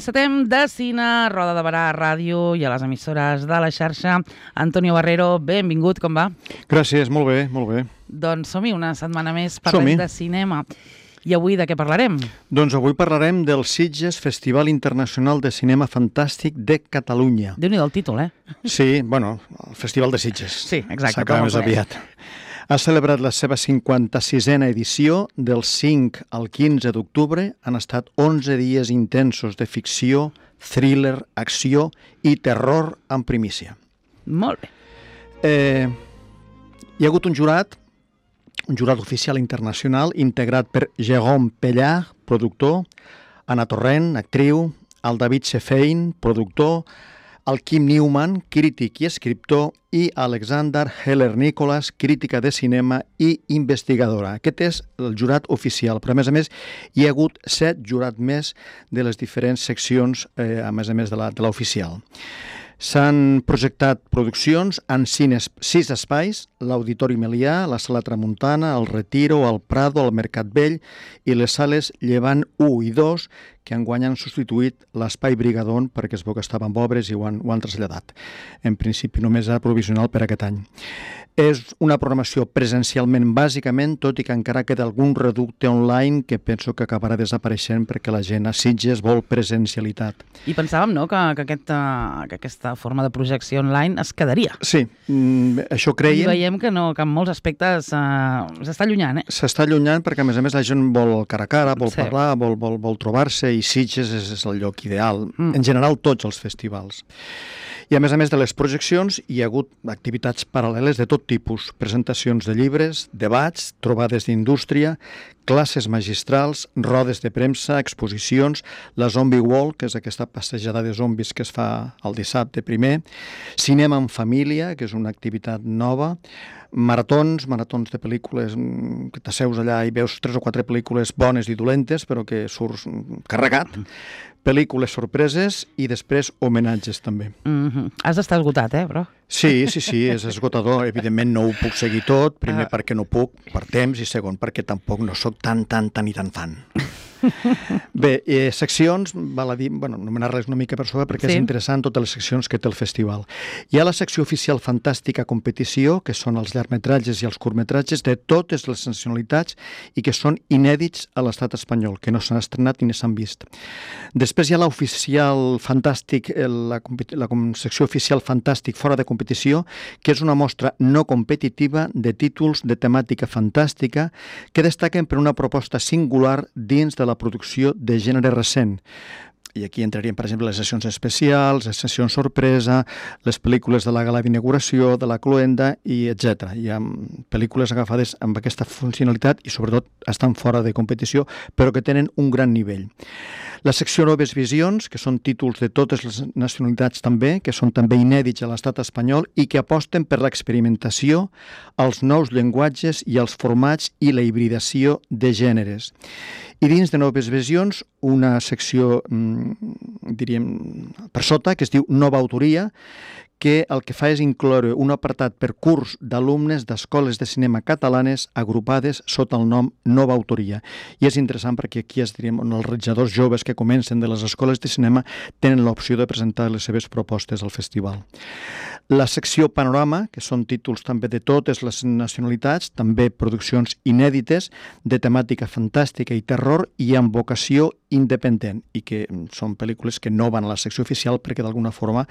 Encetem de cine, Roda de Barà, ràdio i a les emissores de la xarxa. Antonio Barrero, benvingut, com va? Gràcies, molt bé, molt bé. Doncs som-hi, una setmana més parlem de cinema. I avui de què parlarem? Doncs avui parlarem del Sitges Festival Internacional de Cinema Fantàstic de Catalunya. Déu-n'hi-do el títol, Sí, bueno, el Festival de Sitges. Sí, exacte. S'acaba més aviat. Ha celebrat la seva 56a edició. Del 5 al 15 d'octubre. Han estat 11 dies intensos de ficció, thriller, acció i terror en primícia. Molt bé. Hi ha hagut un jurat oficial internacional integrat per Jérôme Pellard, productor, Anna Torrent, actriu, el David Sefein, productor, el Kim Newman, crític i escriptor, i Alexander Heller-Nicholas, crítica de cinema i investigadora. Aquest és el jurat oficial, però a més hi ha hagut 7 jurats més de les diferents seccions, a més de l'oficial. S'han projectat produccions en 6 espais: l'Auditori Melià, la Sala Tramuntana, el Retiro, el Prado, el Mercat Vell i les sales Llevant 1 i 2, que enguany han substituït l'Espai Brigadon perquè es veu que estaven obres i ho han traslladat. En principi només era provisional per aquest any. És una programació presencialment bàsicament, tot i que encara queda algun reducte online que penso que acabarà desapareixent perquè la gent a Sitges vol presencialitat. I pensàvem, no?, que aquesta forma de projecció online es quedaria. Sí, això creiem. I veiem que no, que en molts aspectes s'està allunyant, S'està allunyant perquè, a més la gent vol cara a cara, vol parlar, vol trobar-se, i Sitges és el lloc ideal. En general, tots els festivals. I a més de les projeccions, hi ha hagut activitats paral·leles de tot tipus: presentacions de llibres, debats, trobades d'indústria, classes magistrals, rodes de premsa, exposicions, la Zombie Walk, que és aquesta passejada de zombis que es fa el dissabte primer, cinema en família, que és una activitat nova, maratons de pel·lícules, que t'asseus allà i veus 3 o 4 pel·lícules bones i dolentes, però que surts carregat, pel·lícules sorpreses i després homenatges també. Has d'estar esgotat, però? Sí, és esgotador. Evidentment no ho puc seguir tot, primer perquè no puc, per temps, i segon perquè tampoc no sóc tan fan. Bé, seccions, val a dir, anomenar-les una mica per sobre perquè és interessant totes les seccions que té el festival. Hi ha la secció oficial Fantàstica Competició, que són els llargmetratges i els curtmetratges de totes les nacionalitats i que són inèdits a l'estat espanyol, que no s'han estrenat ni s'han vist. Després hi ha l'oficial Fantàstic, la secció oficial Fantàstic fora de competició, que és una mostra no competitiva de títols de temàtica fantàstica que destaquen per una proposta singular dins de la producció de gènere recent. I aquí entrarien, per exemple, les sessions especials, les sessions sorpresa, les pel·lícules de la gala d'inauguració, de la cloenda, i etc. Hi ha pel·lícules agafades amb aquesta funcionalitat i, sobretot, estan fora de competició, però que tenen un gran nivell. La secció Noves Visions, que són títols de totes les nacionalitats també, que són també inèdits a l'estat espanyol i que aposten per l'experimentació, els nous llenguatges i els formats i la hibridació de gèneres. I dins de Noves Visions, una secció, diríem, per sota, que es diu Nova Autoria, que el que fa és incloure un apartat per curs d'alumnes d'escoles de cinema catalanes agrupades sota el nom Nova Autoria. I és interessant perquè aquí els realitzadors joves que comencen de les escoles de cinema tenen l'opció de presentar les seves propostes al festival. La secció Panorama, que són títols també de totes les nacionalitats, també produccions inèdites de temàtica fantàstica i terror i amb vocació independent, i que són pel·lícules que no van a la secció oficial perquè d'alguna forma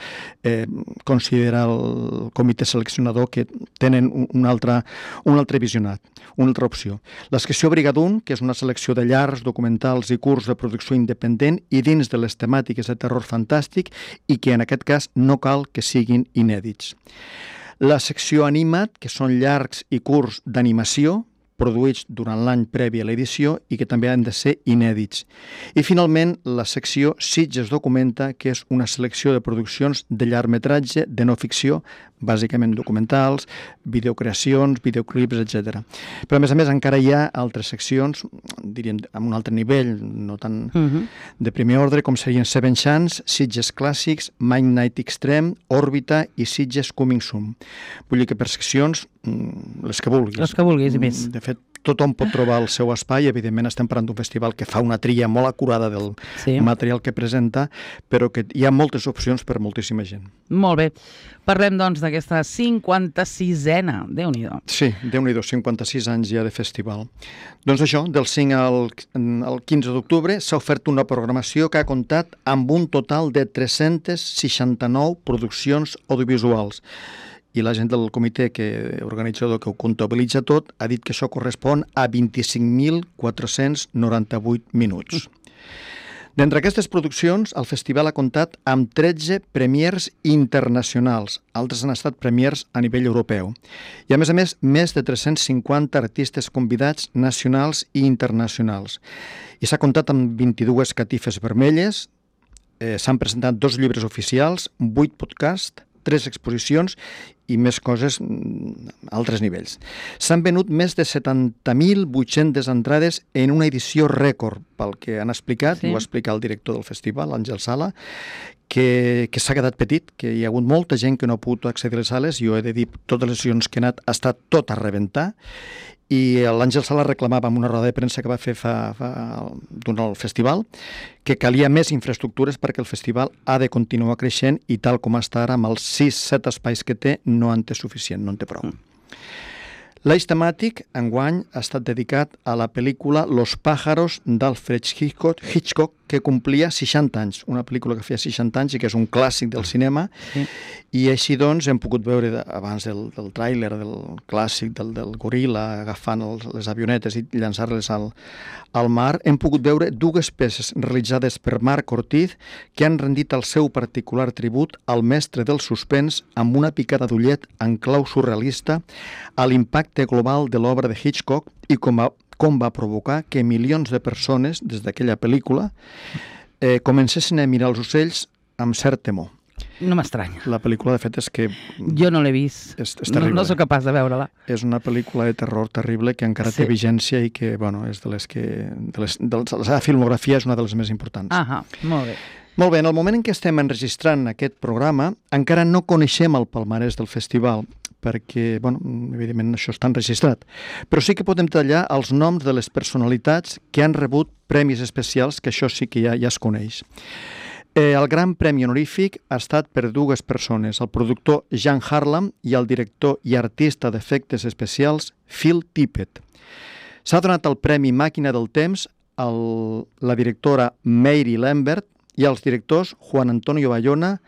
considera el comitè seleccionador que tenen un altre visionat, una altra opció. La secció Brigadun, que és una selecció de llargs, documentals i curts de producció independent i dins de les temàtiques de terror fantàstic i que en aquest cas no cal que siguin inèdits. La secció Animat, que són llargs i curts d'animació, produïts durant l'any previ a l'edició i que també han de ser inèdits. I finalment, la secció Sitges Documenta, que és una selecció de produccions de llargmetratge de no ficció, bàsicament documentals, videocreacions, videoclips, etc. Però, a més, encara hi ha altres seccions, diríem, amb un altre nivell, no tan de primer ordre, com serien Seven Chance, Sitges Clàssics, Midnight Extreme, Òrbita i Sitges Coming Soon. Vull dir que per seccions, les que vulguis. Les que vulguis, i més. De fet, tothom pot trobar el seu espai. Evidentment estem parlant d'un festival que fa una tria molt acurada del material que presenta, però que hi ha moltes opcions per moltíssima gent. Molt bé. Parlem, doncs, d'aquesta 56a. Déu-n'hi-do. Sí, Déu-n'hi-do, 56 anys ja de festival. Doncs això, del 5 al 15 d'octubre s'ha ofert una programació que ha comptat amb un total de 369 produccions audiovisuals. I la gent del comitè organitzador que ho comptabilitza tot ha dit que això correspon a 25.498 minuts. D'entre aquestes produccions, el festival ha comptat amb 13 premiers internacionals. Altres han estat premiers a nivell europeu. I, a més, més de 350 artistes convidats nacionals i internacionals. I s'ha comptat amb 22 catifes vermelles, s'han presentat 2 llibres oficials, 8 podcasts, 3 exposicions i més coses a altres nivells. S'han venut més de 70.800 entrades en una edició rècord, pel que han explicat, ho va explicar el director del festival, Àngel Sala, que s'ha quedat petit, que hi ha hagut molta gent que no ha pogut accedir a les sales. Jo he de dir, totes les edicions que he anat ha estat tot a rebentar, i l'Àngel Sala reclamava en una roda de premsa que va fer durant el festival que calia més infraestructures perquè el festival ha de continuar creixent i tal com està ara, amb els 6-7 espais que té, no en té suficient, no en té prou. L'eix temàtic, enguany, ha estat dedicat a la pel·lícula Los pájaros d'Alfred Hitchcock, que complia 60 anys, una pel·lícula que feia 60 anys i que és un clàssic del cinema, i així doncs hem pogut veure abans del tràiler, del clàssic del goril·la agafant les avionetes i llançar-les al mar, hem pogut veure 2 peces realitzades per Marc Ortiz que han rendit el seu particular tribut al mestre del suspens amb una picada d'ullet en clau surrealista a l'impacte global de l'obra de Hitchcock i com va provocar que milions de persones, des d'aquella pel·lícula, comencessin a mirar els ocells amb cert temor. No m'estranya. La pel·lícula, de fet, és que... Jo no l'he vist. És terrible. No sóc capaç de veure-la. És una pel·lícula de terror terrible que encara té vigència i que, bueno, és de les que... la seva filmografia és una de les més importants. Molt bé. Molt bé, en el moment en què estem enregistrant aquest programa, encara no coneixem el palmarès del festival, perquè, bueno, evidentment això està enregistrat, però sí que podem tallar els noms de les personalitats que han rebut premis especials, que això sí que ja es coneix. El gran premi honorífic ha estat per 2 persones, el productor Jean Harlam i el director i artista d'efectes especials Phil Tippett. S'ha donat el premi Màquina del Temps a la directora Mary Lambert i als directors Juan Antonio Bayona,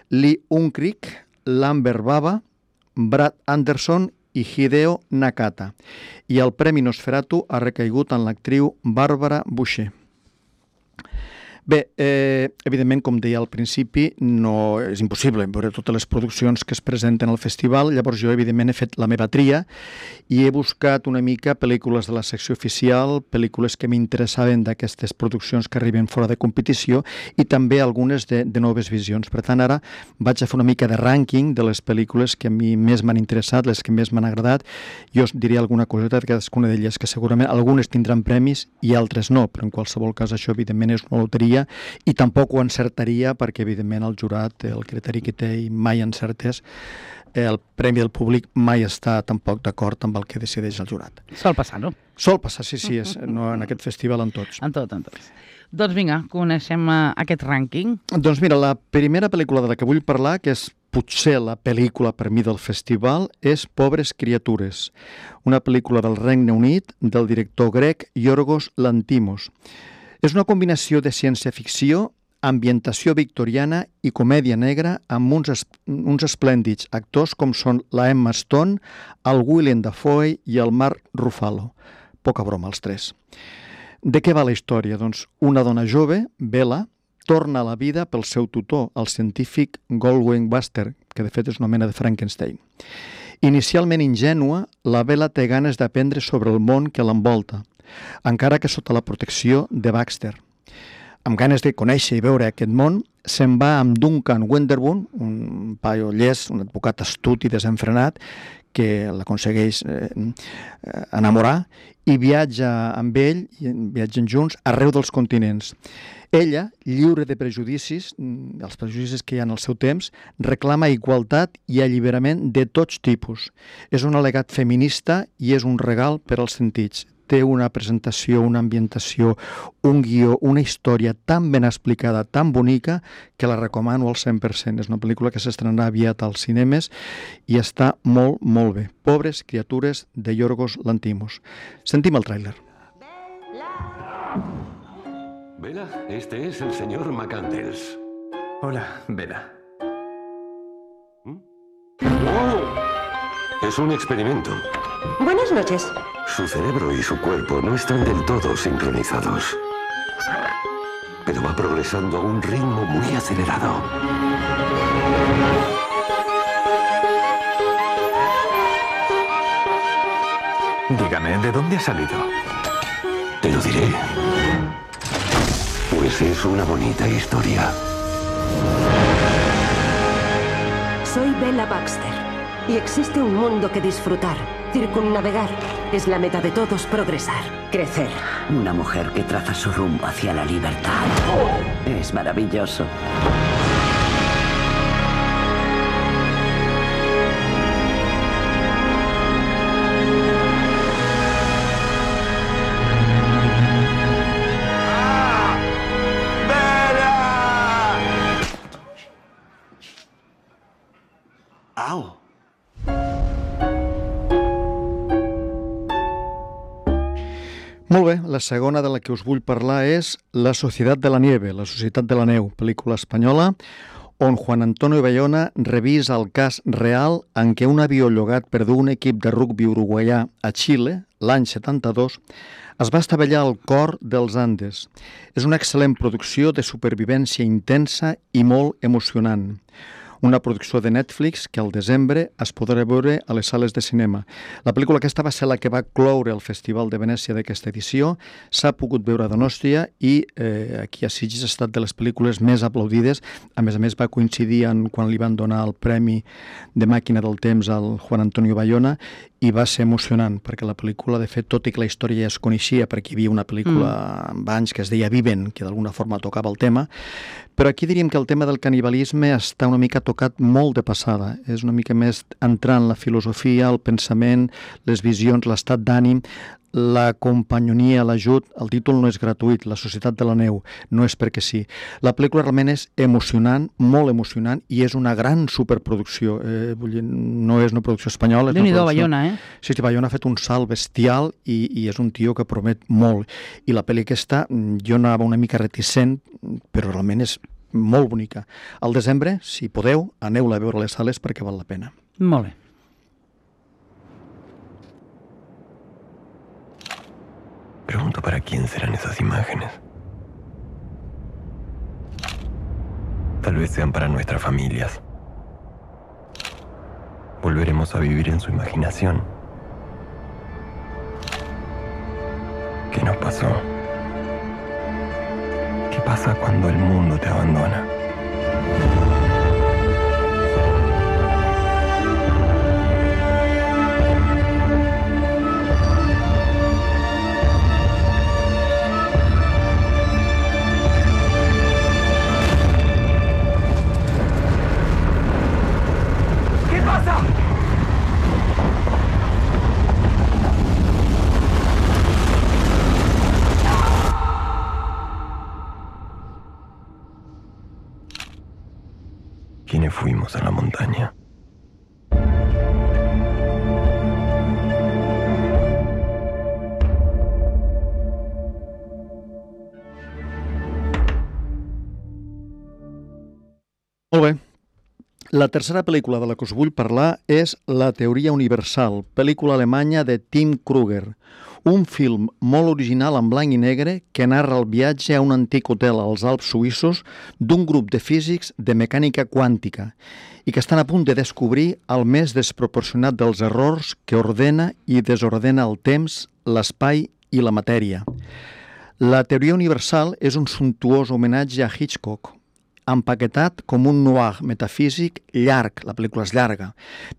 Lee Unkrich, Lambert Bava, Brad Anderson i Hideo Nakata. I el Premi Nosferatu ha recaigut en l'actriu Bàrbara Boucher. Bé, evidentment, com deia al principi, no és impossible veure totes les produccions que es presenten al festival, llavors jo, evidentment, he fet la meva tria i he buscat una mica pel·lícules de la secció oficial, pel·lícules que m'interessaven d'aquestes produccions que arriben fora de competició i també algunes de noves visions. Per tant, ara vaig a fer una mica de rànquing de les pel·lícules que a mi més m'han interessat, les que més m'han agradat. Jo us diré alguna coseta de cadascuna d'elles, que segurament algunes tindran premis i altres no, però en qualsevol cas això, evidentment, és una loteria i tampoc ho encertaria perquè, evidentment, el jurat té el criteri que té i mai encertés. El Premi del Públic mai està tampoc d'acord amb el que decideix el jurat. Sol passar, no? Sol passar, sí, no en aquest festival, en tots. En tots. Doncs vinga, coneixem aquest rànquing. Doncs mira, la primera pel·lícula de la que vull parlar, que és potser la pel·lícula per mi del festival, és Pobres criatures, una pel·lícula del Regne Unit del director grec Yorgos Lanthimos. És una combinació de ciència-ficció, ambientació victoriana i comèdia negra amb uns esplèndids actors com són la Emma Stone, el Willem Dafoe i el Mark Ruffalo. Poca broma, els 3. De què va la història? Doncs una dona jove, Bella, torna a la vida pel seu tutor, el científic Goldwyn Baxter, que de fet és una mena de Frankenstein. Inicialment ingènua, la Bella té ganes d'aprendre sobre el món que l'envolta, encara que sota la protecció de Baxter. Amb ganes de conèixer i veure aquest món, se'n va amb Duncan Wenderbourne, un paio llest, un advocat astut i desenfrenat, que l'aconsegueix enamorar, i viatja amb ell, viatgen junts, arreu dels continents. Ella, lliure de prejudicis, els prejudicis que hi ha en el seu temps, reclama igualtat i alliberament de tots tipus. És un al·legat feminista i és un regal per als sentits. té una presentació, una ambientació, un guió, una història tan ben explicada, tan bonica, que la recomano al 100%. És una pel·lícula que s'estrenarà aviat als cinemes i està molt, molt bé. Pobres criatures de Yorgos Lanthimos. Sentim el tràiler. Bella, este es el señor McCandles. Hola, Bella. Es un experimento. Buenas noches. Su cerebro y su cuerpo no están del todo sincronizados. Pero va progresando a un ritmo muy acelerado. Dígame, ¿de dónde ha salido? Te lo diré. Pues es una bonita historia. Soy Bella Baxter y existe un mundo que disfrutar, circunnavegar. Es la meta de todos progresar, crecer. Una mujer que traza su rumbo hacia la libertad. Es maravilloso. ¡Au! Molt bé, la segona de la que us vull parlar és La Societat de la Nieve, La Societat de la Neu, pel·lícula espanyola, on Juan Antonio Bayona revisa el cas real en què un avió llogat per un equip de rugbi uruguaià a Xile, l'any 72, es va estavellar al cor dels Andes. És una excel·lent producció de supervivència intensa i molt emocionant. Una producció de Netflix que al desembre es podrà veure a les sales de cinema. La pel·lícula aquesta va ser la que va cloure el Festival de Venècia d'aquesta edició, s'ha pogut veure a Donòstia i aquí a Sitges ha estat de les pel·lícules més aplaudides. A més, va coincidir quan li van donar el Premi de Màquina del Temps al Juan Antonio Bayona i va ser emocionant, perquè la pel·lícula, de fet, tot i que la història ja es coneixia, perquè hi havia una pel·lícula abans que es deia Viven, que d'alguna forma tocava el tema, però aquí diríem que el tema del canibalisme està una mica tocat molt de passada. És una mica més entrar en la filosofia, el pensament, les visions, l'estat d'ànim, la companyonia, l'ajut. El títol no és gratuït, La Societat de la Neu, no és perquè sí. La pel·lícula realment és emocionant, molt emocionant, i és una gran superproducció. Vull dir, no és una producció espanyola. Déu-n'hi-do, Bayona, eh? Sí, Bayona ha fet un salt bestial i és un tio que promet molt. I la pel·li aquesta, jo anava una mica reticent, però realment és molt bonica. Al desembre, si podeu, aneu-la a veure a les sales perquè val la pena. Molt bé. Pregunto para quién serán esas imágenes. Tal vez sean para nuestras familias. Volveremos a vivir en su imaginación. ¿Qué nos pasó? ¿Qué pasa cuando el mundo te abandona? ¿Quiénes fuimos a la montaña? Molt bé. La tercera pel·lícula de la que us vull parlar és La teoria universal, pel·lícula alemanya de Tim Kruger. Un film molt original en blanc i negre que narra el viatge a un antic hotel als Alps suïssos d'un grup de físics de mecànica quàntica i que estan a punt de descobrir el més desproporcionat dels errors que ordena i desordena el temps, l'espai i la matèria. La teoria universal és un sumptuós homenatge a Hitchcock, empaquetat com un noir metafísic llarg, la pel·lícula és llarga,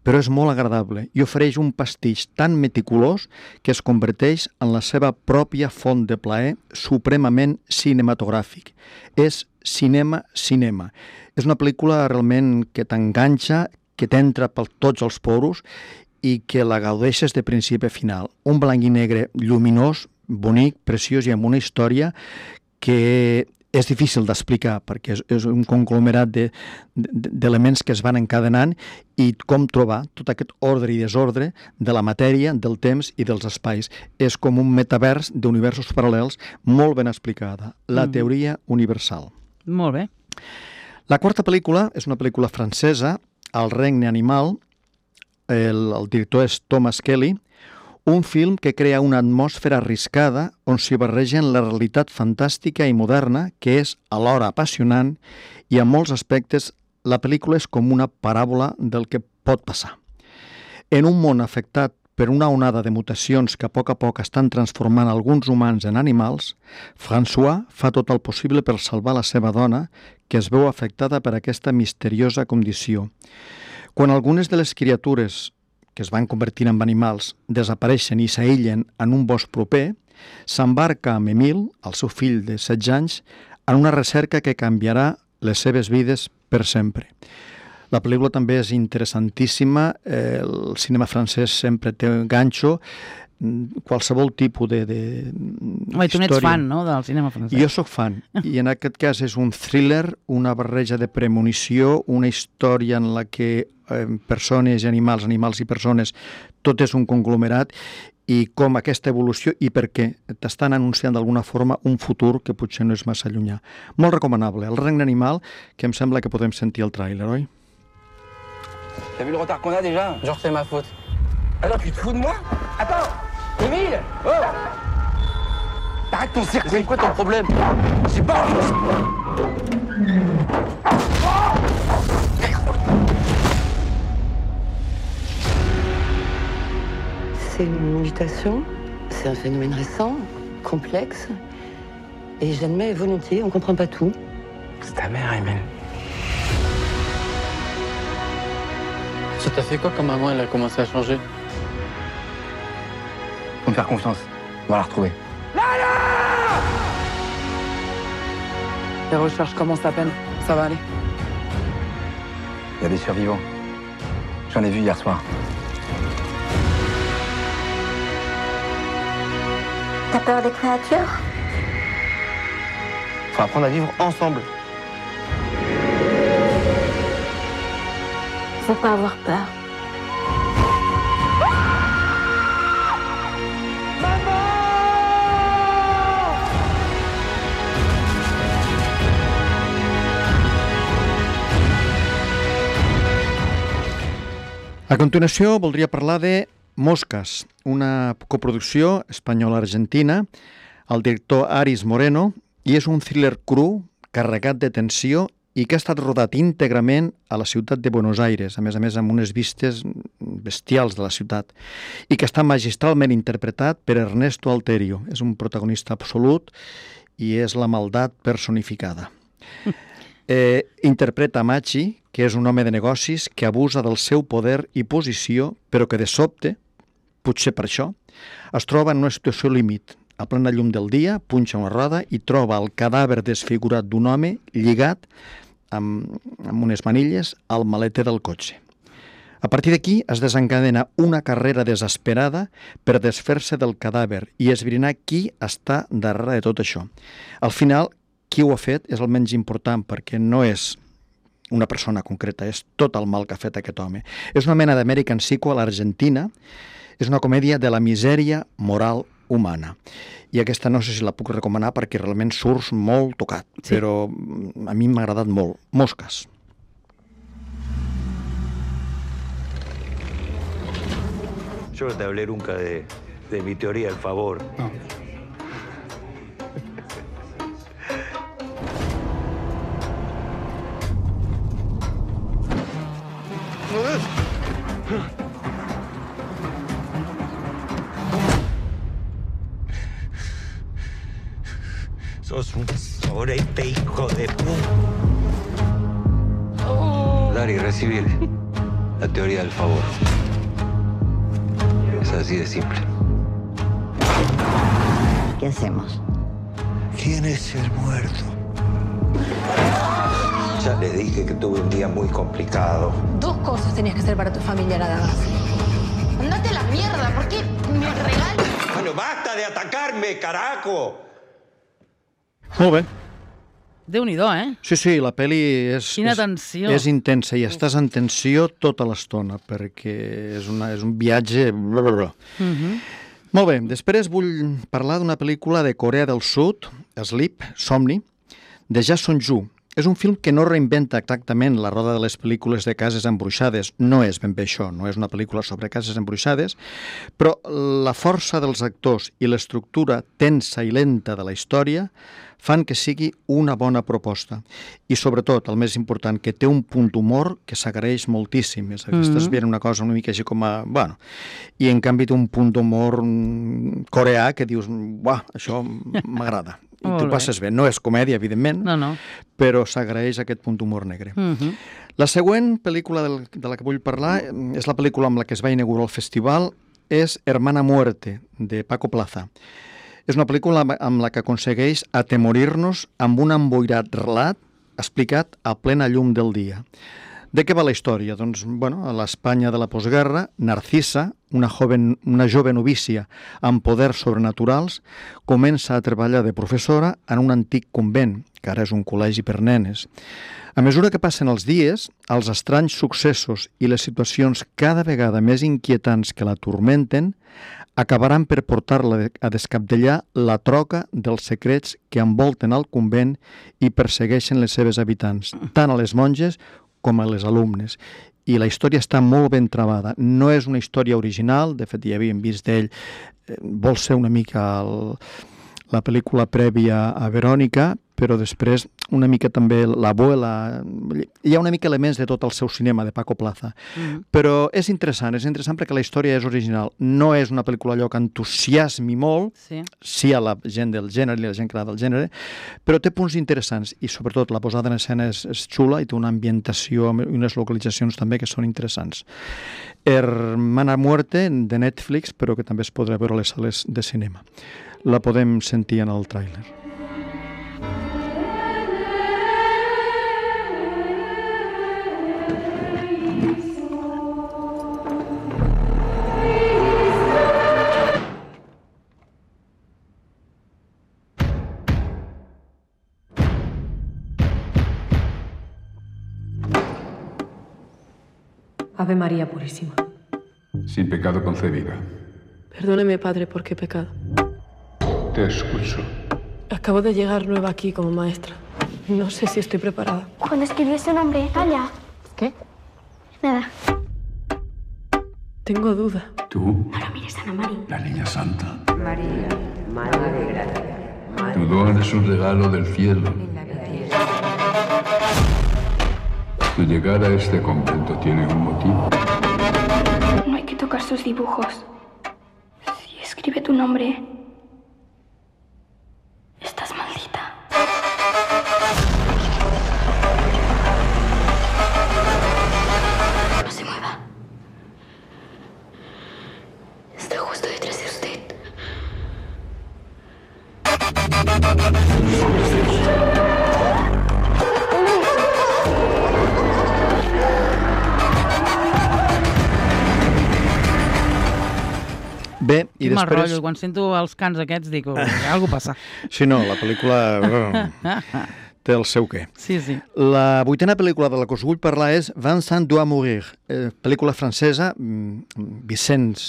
però és molt agradable i ofereix un pastitx tan meticulós que es converteix en la seva pròpia font de plaer supremament cinematogràfic. És cinema. És una pel·lícula realment que t'enganxa, que t'entra per tots els poros i que la gaudeixes de principi a final. Un blanc i negre lluminós, bonic, preciós i amb una història que és difícil d'explicar perquè és un conglomerat d'elements que es van encadenant i com trobar tot aquest ordre i desordre de la matèria, del temps i dels espais. És com un metavers d'universos paral·lels molt ben explicada. La teoria universal. Molt bé. La quarta pel·lícula és una pel·lícula francesa, El regne animal. El director és Thomas Kelly. Un film que crea una atmosfera arriscada on s'hi barregen la realitat fantàstica i moderna, que és alhora apassionant, i en molts aspectes la pel·lícula és com una paràbola del que pot passar. En un món afectat per una onada de mutacions que a poc estan transformant alguns humans en animals, François fa tot el possible per salvar la seva dona, que es veu afectada per aquesta misteriosa condició. Quan algunes de les criatures que es van convertint en animals, desapareixen i s'aïllen en un bosc proper, s'embarca amb Emile, el seu fill de 16 anys, en una recerca que canviarà les seves vides per sempre. La pel·lícula també és interessantíssima, el cinema francès sempre té un ganxo, qualsevol tipus de Home, tu n'ets fan, no?, del cinema francès. Jo sóc fan, i en aquest cas és un thriller, una barreja de premonició, una història en la que persones i animals i persones, tot és un conglomerat, i com aquesta evolució i per què t'estan anunciant d'alguna forma un futur que potser no és massa llunyà. Molt recomanable. El regne animal, que em sembla que podem sentir el tràiler, oi? T'as vu le retard qu'on a déjà? Genre c'est ma faute. Alors tu te fous de moi? Attends! Émile! Oh! Arrête ton cirque! C'est quoi ton problème? C'est pas... C'est une mutation, c'est un phénomène récent, complexe, et j'admets volontiers, on comprend pas tout. C'est ta mère, Emile. Ça t'a fait quoi quand maman elle a commencé à changer? Faut me faire confiance, on va la retrouver. Lala! Les recherches commencent à peine, ça va aller. Il y a des survivants. J'en ai vu hier soir. T'as peur des créatures? Faut apprendre à vivre ensemble. Faut pas avoir peur. A continuació, voldria parlar de Mosques, una coproducció espanyola-argentina, el director Aris Moreno, i és un thriller cru, carregat de tensió i que ha estat rodat íntegrament a la ciutat de Buenos Aires, a més amb unes vistes bestials de la ciutat, i que està magistralment interpretat per Ernesto Alterio. És un protagonista absolut i és la maldat personificada. Interpreta Machi, que és un home de negocis que abusa del seu poder i posició, però que de sobte, potser per això, es troba en una situació límit. A plena llum del dia, punxa una roda i troba el cadàver desfigurat d'un home lligat amb unes manilles al maleter del cotxe. A partir d'aquí es desencadena una carrera desesperada per desfer-se del cadàver i esbrinar qui està darrere de tot això. Al final, qui ho ha fet és el menys important perquè no és una persona concreta, és tot el mal que ha fet aquest home. És una mena d'American Sequel a l'Argentina, és una comèdia de la misèria moral humana. I aquesta no sé si la puc recomanar perquè realment surts molt tocat, sí. Però a mi m'ha agradat molt. Mosques. Yo no te hablé nunca de mi teoría del favor. No. Sos un sorete, hijo de puta. Dar y recibir la teoría del favor. Es así de simple. ¿Qué hacemos? ¿Quién es el muerto? Ya le dije que tuve un día muy complicado. Dos cosas tenías que hacer para tu familia nada más. basta de atacarme, carajo. Molt bé. Déu-n'hi-do, eh? Sí, la pel·li Quina tensió. és intensa i estàs en tensió tota l'estona perquè és un viatge... Molt bé, després vull parlar d'una pel·lícula de Corea del Sud, Sleep, Somni, de Ja Song-ju. És un film que no reinventa exactament la roda de les pel·lícules de cases embruixades. No és ben bé això, no és una pel·lícula sobre cases embruixades, però la força dels actors i l'estructura tensa i lenta de la història fan que sigui una bona proposta. I sobretot, el més important, que té un punt d'humor que s'agraeix moltíssim. És a dir, estàs veient una cosa una mica així com a... Bueno, i en canvi té un punt d'humor coreà que dius, uah, això m'agrada. I tu passes bé. No és comèdia, evidentment, però s'agraeix aquest punt d'humor negre. La següent pel·lícula de la que vull parlar és la pel·lícula amb la que es va inaugurar el festival, és Hermana Muerte, de Paco Plaza. És una pel·lícula amb la que aconsegueix atemorir-nos amb un emboirat relat explicat a plena llum del dia. De què va la història? Doncs, bueno, a l'Espanya de la postguerra, Narcisa, una jove novícia amb poders sobrenaturals, comença a treballar de professora en un antic convent, que ara és un col·legi per nenes. A mesura que passen els dies, els estranys successos i les situacions cada vegada més inquietants que la turmenten acabaran per portar-la a descabdellar la troca dels secrets que envolten el convent i persegueixen les seves habitants, tant a les monges com a les alumnes. I la història està molt ben travada. No és una història original, de fet ja havíem vist d'ell, vol ser una mica la pel·lícula prèvia a Verònica, però després una mica també l'Abuela... Hi ha una mica elements de tot el seu cinema, de Paco Plaza. Però és interessant perquè la història és original. No és una pel·lícula allò que entusiasmi molt, sí a la gent del gènere i la gent que agrada del gènere, però té punts interessants i sobretot la posada en escena és xula i té una ambientació i unes localitzacions també que són interessants. Hermana Muerte, de Netflix, però que també es podrà veure a les sales de cinema. La podem sentir en el tràiler. Ave María Purísima. Sin pecado concebida. Perdóneme, padre, ¿por qué he pecado? Te escucho. Acabo de llegar nueva aquí como maestra. No sé si estoy preparada. Cuando escribió ese nombre, allá. ¿Qué? Nada. Tengo duda. ¿Tú? No lo mires, Ana María. La niña santa. María, Madre de Gracia. Tu don es un regalo del cielo. Tu llegar a este convento tiene un motivo. No hay que tocar sus dibujos. Si escribe tu nombre, estás maldita. No se mueva. Estoy justo detrás de usted. Bé, i després... després... rotllo. Quan sento els cants aquests dic, alguna passa. Sí, no, la pel·lícula té el seu què. Sí, sí. La vuitena pel·lícula de la que us vull parlar és Vincent doit mourir, pel·lícula francesa, Vincent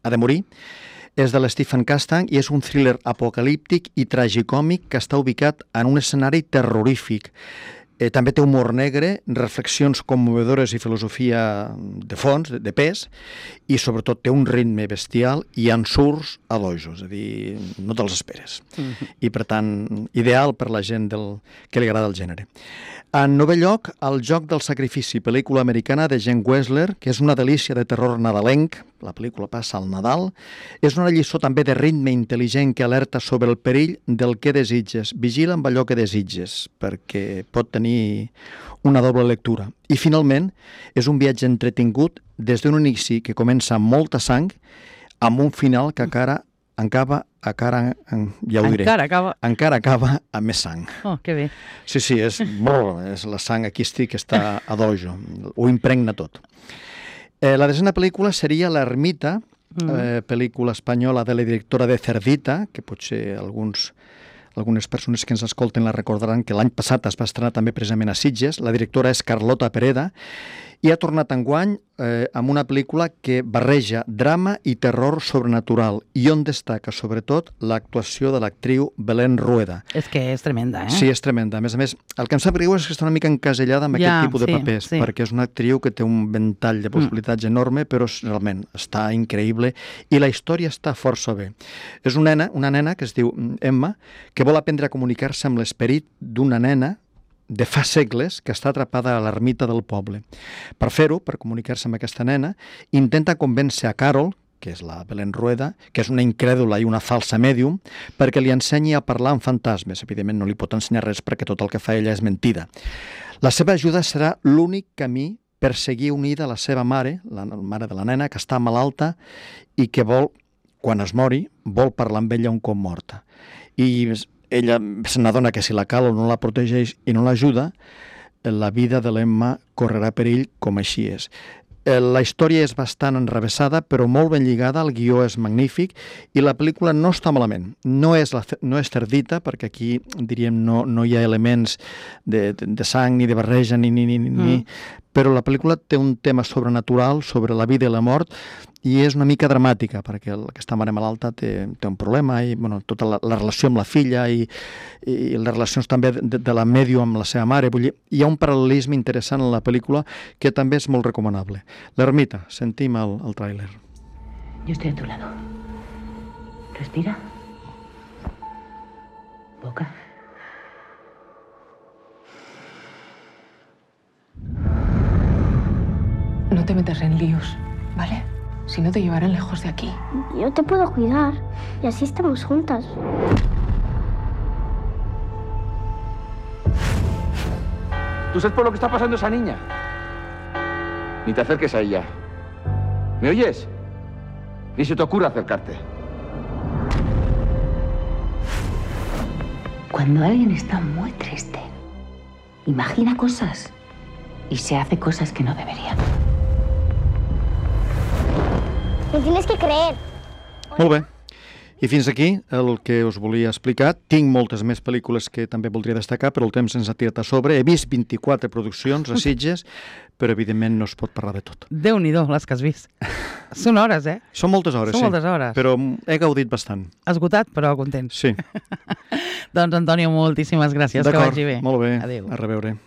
ha de morir. És de l'Stephen Castang i és un thriller apocalíptic i tragicòmic que està ubicat en un escenari terrorífic. També té humor negre, reflexions commovedores i filosofia de fons, de pes, i sobretot té un ritme bestial i ensurts a l'ojo, és a dir, no te'ls esperes. I per tant, ideal per la gent que li agrada el gènere. En novè lloc, El joc del sacrifici, pel·lícula americana de Jen Wessler, que és una delícia de terror nadalenc, la pel·lícula passa al Nadal, és una lliçó també de ritme intel·ligent que alerta sobre el perill del que desitges. Vigila amb allò que desitges, perquè pot tenir una doble lectura. I finalment, és un viatge entretingut des d'un inici que comença amb molta sang, amb un final que encara acaba amb més sang. Oh, que bé. Sí, és la sang aquí que està a dojo, ho impregna tot. La desena pel·lícula seria L'ermita, pel·lícula espanyola de la directora de Cerdita, que potser algunes persones que ens escolten la recordaran que l'any passat es va estrenar també precisament a Sitges. La directora és Carlota Pereda i ha tornat enguany amb una pel·lícula que barreja drama i terror sobrenatural i on destaca sobretot l'actuació de l'actriu Belén Rueda. És que és tremenda, Sí, és tremenda. A més, el que em sap greu és que està una mica encasellada amb aquest tipus de papers, perquè és una actriu que té un ventall de possibilitats enorme, però realment està increïble i la història està força bé. És una nena que es diu Emma, que vol aprendre a comunicar-se amb l'esperit d'una nena de fa segles que està atrapada a l'ermita del poble. Per fer-ho, per comunicar-se amb aquesta nena, intenta convèncer a Carol, que és la Belén Rueda, que és una incrèdula i una falsa mèdium, perquè li ensenyi a parlar amb fantasmes. Evidentment no li pot ensenyar res perquè tot el que fa ella és mentida. La seva ajuda serà l'únic camí per seguir unida a la seva mare, la mare de la nena, que està malalta i que vol, quan es mori, vol parlar amb ella un cop morta. I ella se n'adona que si la Carol no la protegeix i no l'ajuda, la vida de l'Emma correrà perill com així és. La història és bastant enrevessada, però molt ben lligada, el guió és magnífic i la pel·lícula no està malament. No és Cerdita, perquè aquí, diríem, no hi ha elements de sang ni de barreja, però la pel·lícula té un tema sobrenatural sobre la vida i la mort i és una mica dramàtica, perquè aquesta mare malalta té un problema i tota la relació amb la filla i les relacions també de la mèdium amb la seva mare. Vull dir, hi ha un paral·lelisme interessant en la pel·lícula que també és molt recomanable. L'ermita, sentim el tràiler. Yo estoy a tu lado. Respira. Boca. No te metas en líos, ¿vale? Si no te llevarán lejos de aquí. Yo te puedo cuidar y así estamos juntas. ¿Tú sabes por lo que está pasando esa niña? Ni te acerques a ella. ¿Me oyes? Ni se te ocurra acercarte. Cuando alguien está muy triste, imagina cosas y se hace cosas que no debería. Me tienes que creer. Molt bé. I fins aquí el que us volia explicar. Tinc moltes més pel·lícules que també voldria destacar, però el temps ens ha tirat a sobre. He vist 24 produccions a Sitges, però evidentment no es pot parlar de tot. Déu-n'hi-do, les que has vist. Són hores, eh? Són moltes hores, Són moltes hores. Però he gaudit bastant. Esgotat, però content. Sí. Doncs, Antonio, moltíssimes gràcies. Que vagi bé. Molt bé. Adéu. A reveure.